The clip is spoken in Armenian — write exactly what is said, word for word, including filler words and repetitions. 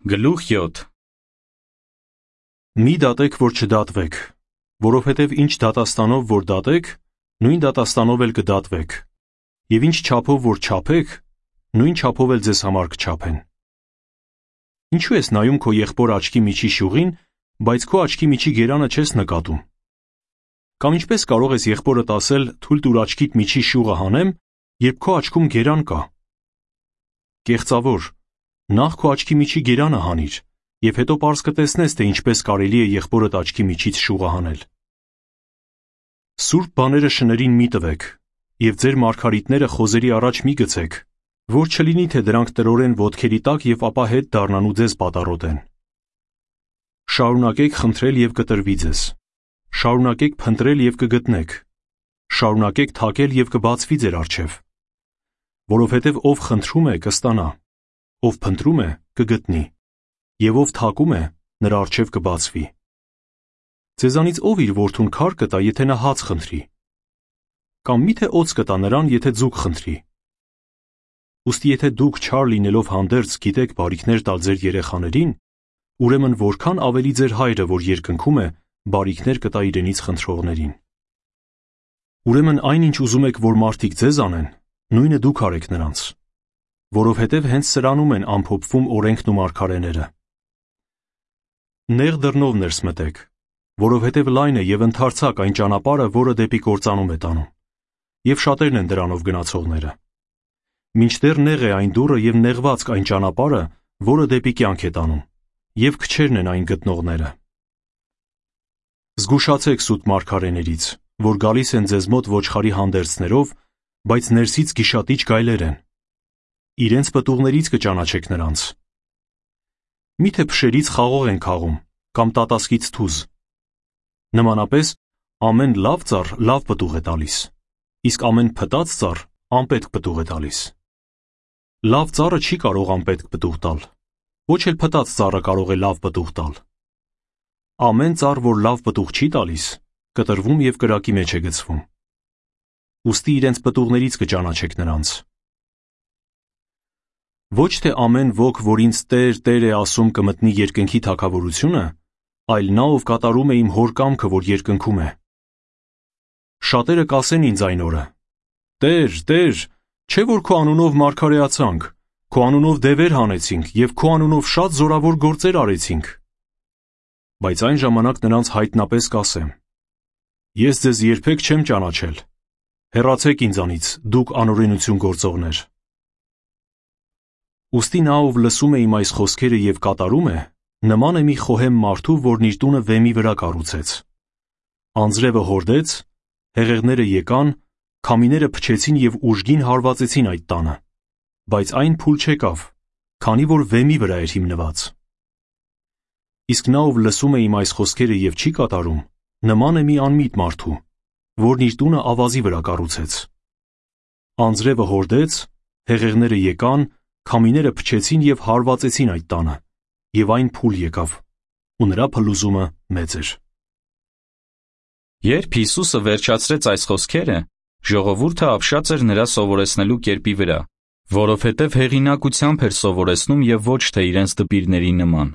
Գլուխ յոթ Մի դատեք, որ չդատվեք, որովհետև ինչ դատաստանով որ դատեք, նույն դատաստանով էլ կդատվեք, և ինչ չափով որ չափեք, նույն չափով էլ ձեզ համար կչափեն։ Ինչու ես նայում քո եղբոր աչքի միջի շյուղին, բայց քո աչքի միջի գերանը չես նկատում։ Կամ ինչպես կարող ես եղբորդ ասել թույլ տուր աչքիդ միջի շյուղը հանեմ, երբ քո աչքում գերան կա։ Կեղծավոր, նախ քո աչքի միջի գերանը հանիր, և հետո պարզ կտեսնես, թե ինչպես կարելի է եղբորդ աչքի միջից շուղը հանել։ Սուրբ բաները շներին մի տվեք, և ձեր մարգարիտները խոզերի առաջ մի գցեք, որ չլինի, թե դրանք տրորեն ոտքերի տակ և ապա հետ դառնան ու ձեզ պատառոտեն։ Շարունակեք խնդրել և կտրվի ձեզ, շարունակեք փնտրել և կգտնեք, շարունակեք թակել և կբացվի ձեր առջև, որովհետև ով խնդրում է, կստանա, ով փնտրում է, կգտնի, և ով թակում է, նրա առջև կբացվի։ Ձեզանից ով իր որդուն քար կտա, եթե նա հաց խնդրի, կամ միթե օձ կտա նրան, եթե ձուկ խնդրի։ Ուստի եթե դուք չար լինելով հանդերձ գիտեք բարիքներ տալ ձեր երեխաներին, ուրեմն որքան ավելի ձեր հայրը, որ երկնքում է, բարիքներ կտա իրենից խնդրողներին։ Ուրեմն այնինչ ուզում եք, որ մարդիկ ձեզ անեն, նույնը դուք արեք նրանց, որովհետև հենց սրանում են ամփոփվում օրենքն ու մարգարեները։ Նեղ դռնով ներս մտեք, որովհետև լայն է և ընդարձակ այն ճանապարհը, որը դեպի կործանում է տանում, և շատերն են դրանով գնացողները։ Մինչդեռ նեղ է այն դուռը և նեղվածք այն ճանապարհը, որը դեպի կյանք է տանում, և քչերն են այն գտնողները։ Զգուշացեք սուտ մարգարեներից, որ գալիս են ձեզ մոտ ոչխարի հանդերձներով, բայց ներսից գիշատիչ գայլեր են։ Իրենց պտուղներից կճանաչեք նրանց։ Միթե փշերից խաղող են քաղում, կամ տատասկից թուզ։ Նմանապես, ամեն լավ ծառ լավ պտուղ է տալիս, իսկ ամեն փտած ծառ անպետք պտուղ է տալիս։ Լավ ծառը չի կարող անպետք պտուղ տալ, ոչ էլ փտած ծառը կարող է լավ պտուղ տալ։ Ամեն ծառ, որ լավ պտուղ չի տալիս, կտրվում և կրակի մեջ է գցվում։ Ուստի իրենց պտուղներից կճանաչեք նրանց։ Ոչ թե ամեն ոք, որ ինձ Տեր, Տեր է ասում, կմտնի երկնքի թագավորությունը, այլ նա, ով կատարում է իմ հոր կամքը, որ երկնքում է։ Շատերը կասեն ինձ այն օրը. Տեր, Տեր, չէ՞ որ քո անունով մարգարեացանք, քո անունով դևեր հանեցինք և քո անունով շատ զորավոր գործեր արեցինք։ Բայց այն ժամանակ նրանց հայտնապես կասեմ. Ես ձեզ երբեք չեմ ճանաչել, հեռացեք ինձանից, դուք անօրենություն գործողներ։ Ուստի նա, ով լսում է իմ այս խոսքերը և կատարում է, նման է մի խոհեմ մարդու, որն իր տունը վեմի վրա կառուցեց։ Անձրևը հորդեց, հեղեղները եկան, քամիները փչեցին և ուժգին հարվածեցին այդ տանը, բայց այն փուլ չեկավ, քանի որ վեմի վրա էր հիմնված։ Իսկ նա, ով լսում է իմ այս խոսքերը և չի կատարում, նման է մի անմիտ մարդու, որն իր տունը ավազի վրա կառուցեց։ Անձրևը հորդեց, հեղեղները եկան, քամիները փչեցին և հարվածեցին այդ տանը, և այն փուլ եկավ, ու նրա փլուզումը մեծ էր։ Երբ Հիսուսը վերջացրեց այս խոսքերը, ժողովուրդը ապշած էր նրա սովորեցնելու կերպի վրա, որովհետև հեղինակությամբ էր սովորեցնում և ոչ թե իրենց դպիրների նման։